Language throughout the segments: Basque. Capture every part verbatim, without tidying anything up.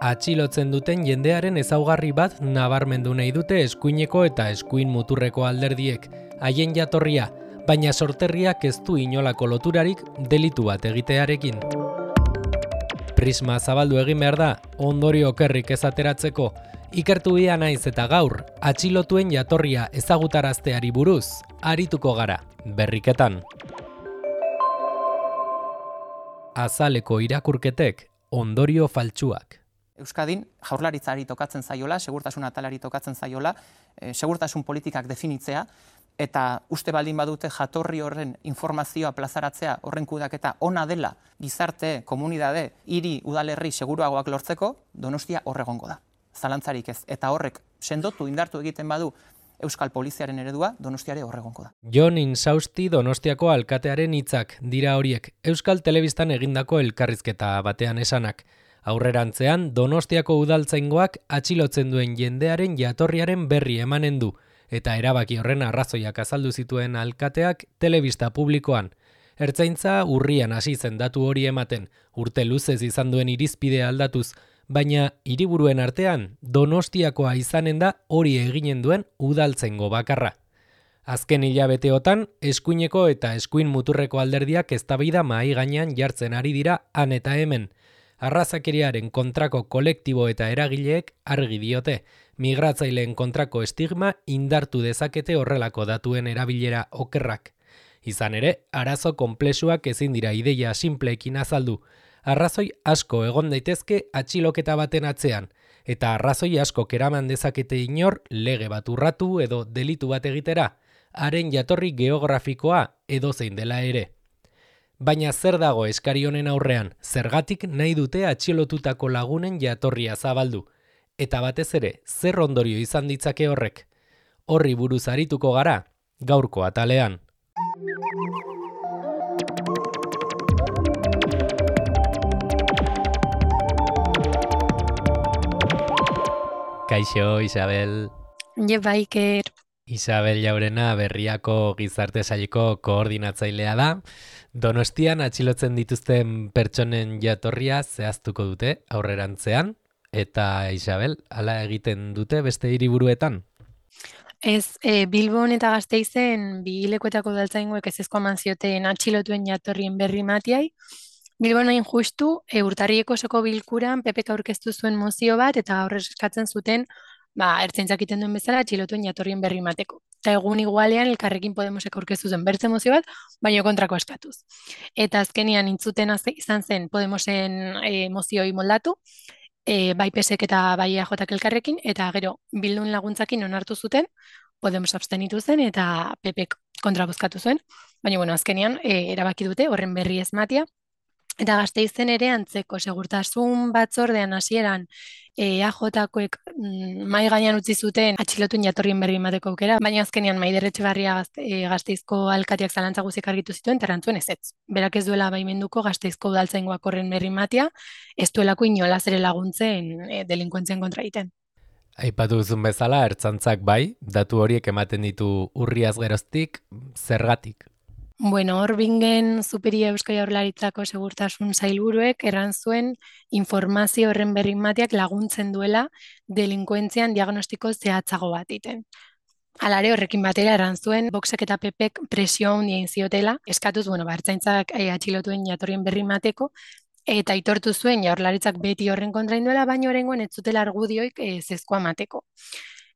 atxilotzen duten jendearen ezaugarri bat nabarmendu nahi dute eskuineko eta eskuin muturreko alderdiek, haien jatorria, baina sorterriak ez du inolako loturarik delitu bat egitearekin. Prisma zabaldu egin behar da, ondorio okerrik ez ateratzeko, ikertu ia naiz eta gaur, atxilotuen jatorria ezagutarazteari buruz, arituko gara, berriketan. Azaleko irakurketek, ondorio faltsuak. Euskadin jaurlaritzari tokatzen zaiola, segurtasun atalari tokatzen zaiola, e, segurtasun politikak definitzea, eta uste baldin badute jatorri horren informazioa plazaratzea, horren kudaketa ona dela, gizarte, komunidade, hiri, udalerri seguruagoak lortzeko, Donostia horregongo da. Zalantzarik ez. Eta horrek sendotu indartu egiten badu Euskal Poliziaren eredua, Donostiare horregongo da. Jon Insausti Donostiako alkatearen hitzak dira horiek, Euskal Telebistan egindako elkarrizketa batean esanak. Aurrerantzean, Donostiako udaltzaingoak atxilotzen duen jendearen jatorriaren berri emanen du, eta erabaki horren arrazoiak azaldu zituen alkateak telebista publikoan. Ertzaintza urrian hasi zen datu hori ematen, urte luzez izan duen irizpidea aldatuz, baina hiriburuen artean Donostiakoa izanen da hori eginen duen udaltzaingo bakarra. Azken hilabeteotan, eskuineko eta eskuin muturreko alderdiak eztabaida mahai gainean jartzen ari dira han eta hemen. Arrazakeriaren kontrako kolektibo eta eragileek argi diote, migratzaileen kontrako estigma indartu dezakete horrelako datuen erabilera okerrak. Izan ere, arazo konplexuak ezin dira ideia simpleekin azaldu. Arrazoi asko egon daitezke atxiloketa baten atzean, eta arrazoi asko keraman dezakete inor lege bat urratu edo delitu bat egitera, haren jatorri geografikoa edozein dela ere. Baina zer dago eskari honen aurrean, zergatik nahi dute atxilotutako lagunen jatorria zabaldu, eta batez ere, zer ondorio izan ditzake horrek. Horri buruz arituko gara, gaurko atalean. Kaixo, Isabel. Je baiker. Isabel Jaurena Berriako gizarte saileko koordinatzailea da. Donostian atxilotzen dituzten pertsonen jatorria zehaztuko dute aurrerantzean. Eta Isabel, hala egiten dute beste hiriburuetan? Ez, e, Bilbon eta Gasteizen bi lekuetako udaltzaingoek ezezko eman zioten atxilotuen jatorrien berri matiai. Bilbon hain justu, e, urtarrieko osoko bilkuran P Pk aurkeztu zuen mozio bat eta horrez eskatzen zuten ba, ertzaintzak egiten duen bezala atxilotuen jatorrien berri mateko. Eta egun igualean Elkarrekin Podemosek aurkeztu zen bertze mozio bat, baina kontrako eskatuz. Eta azkenian intzuten izan zen Podemosen e, mozioi moldatu, e, bai P Sek eta bai E A Jk Elkarrekin, eta gero Bildun laguntzakin onartu zuten, Podemos abstenitu zen eta P Pek kontra bozkatu zuen, baina bueno, azkenian e, erabaki dute horren berri ez matia. Eta Gasteizen ere antzeko segurtasun batzordean hasieran E A Jkoek mm, mai gainean utzi zuten atxilotuen jatorrien berri emateko aukera, baina azkenean Maider Etxebarria gazte, e, Gasteizko alkateak zalantza guziak argitu zituen, eta erantzuen ezetz. Berak ez duela baimenduko Gasteizko udaltzaingoak horren berri ematea, ez duelako inolaz ere laguntzen e, delinkuentzien kontra egiten. Aipatu duzun bezala, ertzantzak bai, datu horiek ematen ditu urriaz geroztik, zergatik? Bueno, hor bingen Superia Eusko Jaurlaritzako segurtasun sailburuek erran zuen informazio horren berri emateak laguntzen duela delinkuentzian diagnostiko zehatzago bat egiten. Alare horrekin batera erran zuen Voxek eta P Pek presio handia egin ziotela, eskatuz, bueno, ba, ertzaintzak eh, atxilotuen jatorrien berri emateko, eta aitortu zuen Jaurlaritzak beti horren kontra induela, baina oraingoan ez zutela argudioik eh, zezkoa emateko.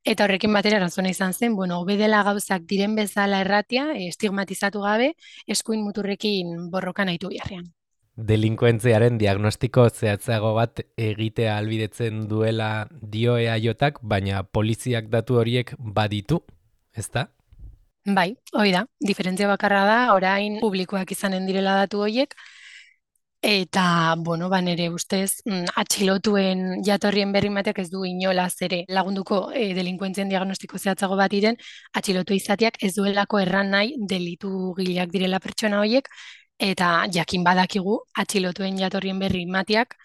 Eta horrekin batera erantzuna izan zen, bueno, hobe dela gauzak diren bezala erratia, estigmatizatu gabe, eskuin muturrekin borrokan aitu biharrean. Delinkuentziaren diagnostiko zehatzago bat egitea ahalbidetzen duela dio E A Jk, baina poliziak datu horiek baditu, ezta? Bai, hori da, diferentzia bakarra da, orain publikoak izanen direla datu horiek, eta, bueno, ba, nere ustez, mm, atxilotuen jatorrien berri emateak ez du inolaz ere lagunduko e, delinkuentzien diagnostiko zehatzago bat diren, atxilotu izateak ez duelako erran nahi delitu gileak direla pertsona horiek, eta jakin badakigu atxilotuen jatorrien berri emateak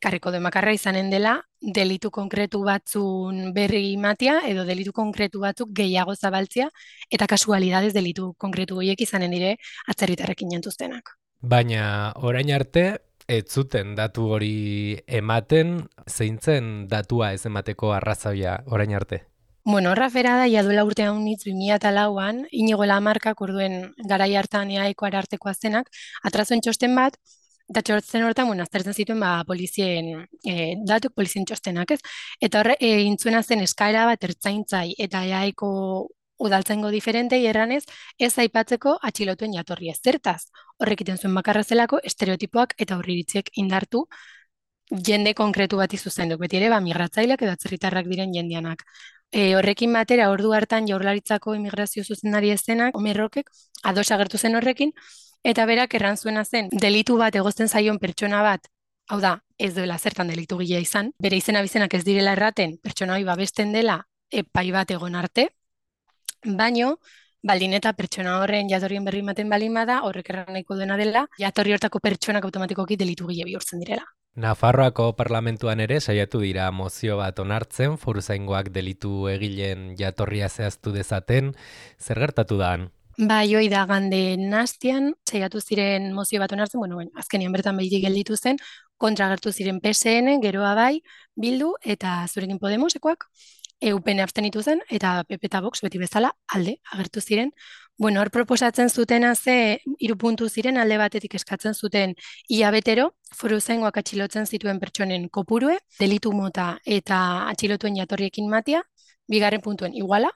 karriko demakarra izanen dela delitu konkretu batzun berri ematea edo delitu konkretu batzuk gehiago zabaltzea, eta kasualidades delitu konkretu horiek izanen dire atzerritarrekin jantuztenak. Baina orain arte ez zuten datu hori ematen, zeintzen datua ez emateko arrazoia orain arte? Bueno, horra fera da, ja duela urte haunitz bi mila lauan, Inigo Lamarkak orduen garai hartan eaeko arartekoa zenak, atrazoen txosten bat, eta txosten hortan, bueno, aztertzen zituen ba, polizien e, datuk, polizien txostenak, ez? Eta horre, e, intzuena zen eskaera bat ertzaintzai eta eaeko udaltzaingo diferentei erranez, ez aipatzeko atxilotuen jatorria. Zertaz, horrek iten zuen bakarra zelako, estereotipoak eta aurreiritziek indartu jende konkretu bati zuzenduk, beti ere, ba, migratzaileak edo atzerritarrak diren jendianak. E, horrekin batera, ordu hartan jaurlaritzako immigrazio zuzendari ezenak, Omerrokek, ados agertu zen horrekin, eta berak erran zuena zen, delitu bat egozten zaion pertsona bat, hau da, ez duela zertan delitu gila izan, bere izena bizenak ez direla erraten, pertsona hori babesten dela epai bat egon arte, baino, baldin eta pertsona horren jatorrien berri ematen balin bada, horrek erran nahiko duena dela, jatorri hortako pertsonak automatikoki delitu gile bihurtzen direla. Nafarroako parlamentuan ere saiatu dira mozio bat onartzen, foruzaingoak delitu egileen jatorria zehaztu dezaten, zer gertatu da han? Bai, hoi da gande nastian, saiatu ziren mozio bat onartzen, bueno, bueno, azkenean bertan behirik gelditu zen, kontra agertu ziren P S N, geroa bai, Bildu eta Zurekin Podemosekoak, E U P N abstenitu zen, eta P P eta Vox beti bezala alde agertu ziren. Bueno, hor proposatzen zutena ze hiru puntu ziren, alde batetik eskatzen zuten ia betero, foruzaingoak atxilotzen zituen pertsonen kopurue, delitu mota eta atxilotuen jatorriekin matia, bigarren puntuen iguala,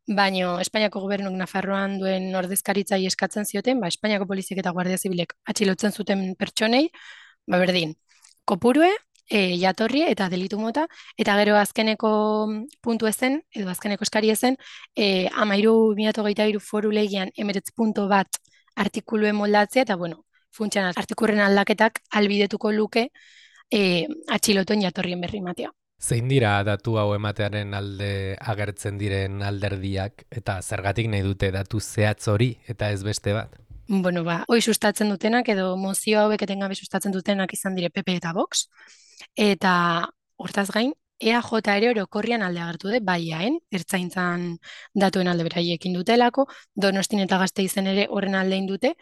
baino Espainiako gobernuk Nafarroan duen ordezkaritzai eskatzen zioten, ba, Espainiako poliziek eta Guardia Zibilek atxilotzen zuten pertsonei, ba, berdin, kopurue, E, jatorri eta delitu mota, eta gero azkeneko puntu ezen, edo azkeneko eskari ezen, e, amairu mila hogeita hiru foru legian emeretz punto bat artikuluen moldatzea, eta bueno, funtsean artikurren aldaketak albidetuko luke e, atxilotuen jatorrien berri matea. Zein dira datu hau ematearen alde agertzen diren alderdiak, eta zergatik nahi dute datu zehatz hori eta ez beste bat? Bueno, ba, hoi sustatzen dutenak, edo mozio hauek etengabe sustatzen dutenak izan dire P P eta Vox, eta hortaz gain, E A J ere orokorrian alde agertu de, baiaen, ertzaintzan datuen alde beraiekin dutelako, Donostin eta Gasteizen ere horren aldein dute,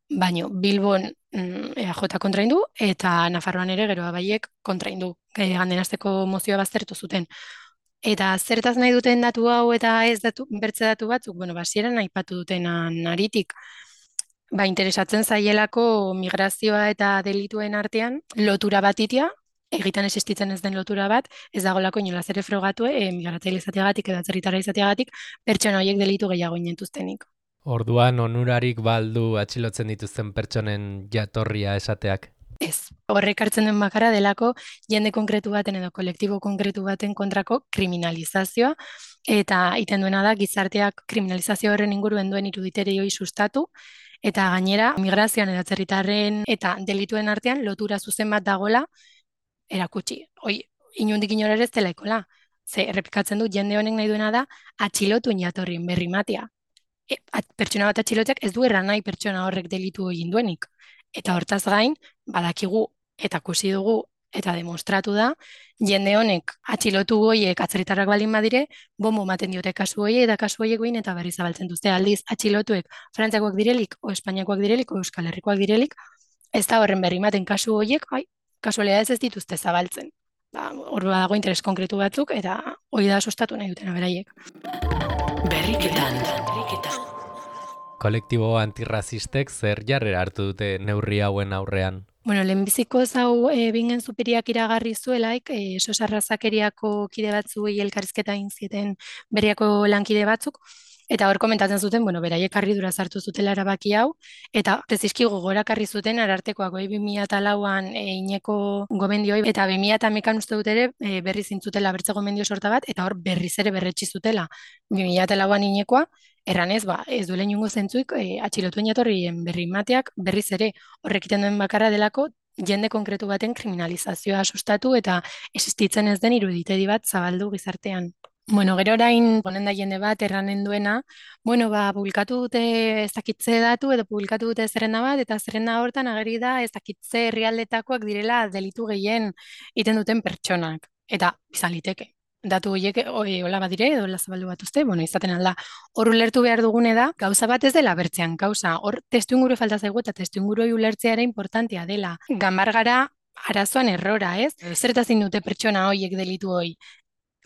baino Bilbon mm, E A J kontraindu, eta Nafarroan ere geroa baiek kontraindu, e, gandenazteko mozioa baztertu zuten. Eta zertaz nahi duten datu hau eta ez datu, bertze datu batzuk, bueno, basieran aipatu dutenan aritik, ba, interesatzen zaielako migrazioa eta delituen artean lotura bat itia, egitan existitzen ez den lotura bat, ez dagolako inolaz ere frogatu, e, migratzaile izateagatik edo atzerritarra izateagatik, pertsona horiek delitu gehiago inentuztenik. Orduan onurarik baldu atxilotzen dituzten pertsonen jatorria esateak? Ez, horrek hartzen den bakarra delako jende konkretu baten edo kolektibo konkretu baten kontrako kriminalizazioa, eta iten duena da gizarteak kriminalizazio horren inguruen duen iruditerei sustatu, eta gainera migrazioan edo atzerritarren eta delituen artean lotura zuzen bat dagola erakutsi. Hoi, inundik inora ere ez delaikola. Ze, errepikatzen du, jende honek nahi duena da atxilotuen jatorrien berri matia. E, at, pertsona bat atxilotek ez du erran nahi pertsona horrek delitu egin duenik. Eta hortaz gain, badakigu eta kusi dugu eta demostratu da, jende honek atxilotu goiek atzerritarrak baldin badire, bombo ematen diote kasu hoiek eta kasu hoiek behin eta berri zabaltzen duzte. Aldiz, atxilotuek Frantziakoak direlik, o Espainiakoak direlik, o Euskal Herrikoak direlik, ez da horren berri ematen kasu hoiek, ai, kasualidadez ez dituzte zabaltzen. Ba, hor badago interes konkretu batzuk, eta hori da sustatu nahi dutena beraiek. Berriketan. Kolektibo antirrazistek zer jarrera hartu dute neurri hauen aurrean? Bueno, lehenbiziko zau e, bingen superiak iragarri zuelaik, e, sosarrazakeriako kide batzuei elkarrizketa egin zieten beriako lankide batzuk, eta hor komentatzen zuten, bueno, beraiek harridura sartu zutela erabaki hau, eta prezizki gogorakarri zuten arartekoak bi mila lauan e, ineko gomendioi, eta bi mila hamakan uste dut ere e, berri zintzutela bertze gomendio sorta bat, eta hor berriz ere berretsi zutela bi mila lauan inekoa, erranez, ba, ez duela inungo zentzuik e, atxilotuen jatorrien berri mateak berriz ere horrekiten duen bakarra delako jende konkretu baten kriminalizazioa sustatu eta existitzen ez den iruditedi bat zabaldu gizartean. Bueno, gero orain ponen da jende bat erranen duena, bueno, ba, publikatu dute ez dakitze datu edo publikatu dute zerrenda bat, eta zerrenda hortan ageri da ez dakitze herrialdetakoak direla delitu gehien iten duten pertsonak. Eta izan liteke. datu horiek hola badire edo hola zabaldu batuzte, bueno, izaten alda. Hor ulertu behar dugune da, gauza bat ez dela bertzean gauza. Hor testu inguru falta zaigu eta testu inguru ulertzea ere importantea dela. Ganbar gara arazoan errora, ez? Zertazin dute pertsona horiek delitu hoi.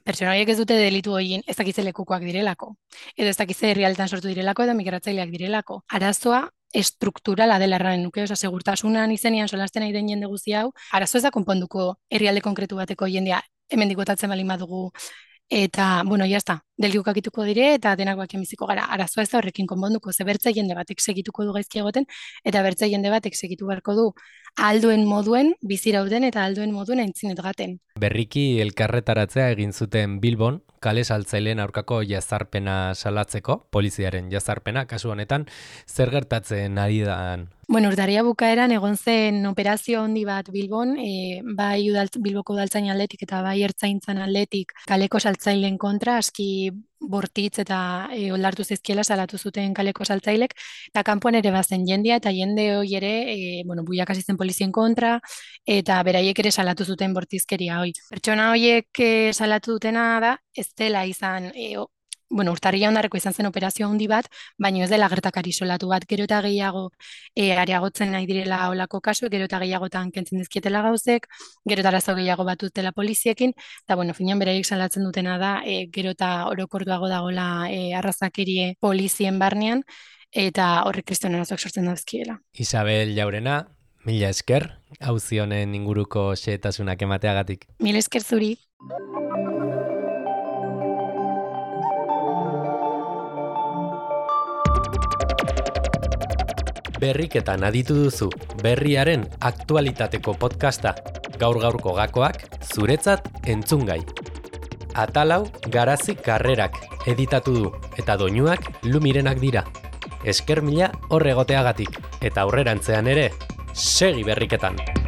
Pertsona horiek ez dute delitu horien ez dakize lekukoak direlako. Edo ez dakize herrialdetan sortu direlako edo migratzaileak direlako. Arazoa estrukturala dela erranen nuke, oza, segurtasunan izenean solasten nahi den jende guzti hau, arazo ez da konponduko herrialde konkretu bateko jendea hemen dikotatzen balin badugu, eta, bueno, jazta, delikuk akituko dire eta denak bakien biziko gara. Arazoa ez da horrekin konponduko, ze bertze jende batek segituko du gaizki egoten, eta bertze jende batek segitu beharko du alduen moduen, bizirauten eta alduen moduen aintzinet gaten. Berriki elkarretaratzea egin zuten Bilbon, kale saltzaileen aurkako jazarpena salatzeko, poliziaren jazarpena, kasu honetan, zer gertatzen ari da? Bueno, urtarria bukaeran egon zen operazio handi bat Bilbon, e, bai udalt, Bilboko udaltzain aldetik eta bai ertzaintzan aldetik kaleko saltzaileen kontra, aski bortitz eta e, oldartu zizkiela salatu zuten kaleko saltzailek, eta kanpoan ere bazen jendea eta jende hoi ere, e, bueno, buiak hasi zen polizien kontra, eta beraiek ere salatu zuten bortizkeria hoi. Pertsona horiek e, salatu dutena da, ez dela izan, e, bueno, urtarria ondarreko izan zen operazio handi bat, baina ez dela gertakari solatu bat, gero eta gehiago e, areagotzen nahi direla olako kasu, gero eta gehiagotan kentzen dizkietela gauzek, gero eta arazo gehiago bat dutela poliziekin, eta bueno, finean beraiek salatzen dutena da, e, gero eta orokorduago dagoela e, arrazakerie polizien barnean, eta horrek kriston arazoak sortzen dauzkiela. Isabel Jaurena, mila esker, auzi honen inguruko xehetasunak emateagatik. Mila esker zuri. Berriketan aditu duzu, berriaren aktualitateko podcasta, gaur-gaurko gakoak, zuretzat entzungai. Atalau Garazi Karrerak editatu du, eta doinuak Lumirenak dira. Esker mila horregoteagatik, eta aurrerantzean ere, segi berriketan!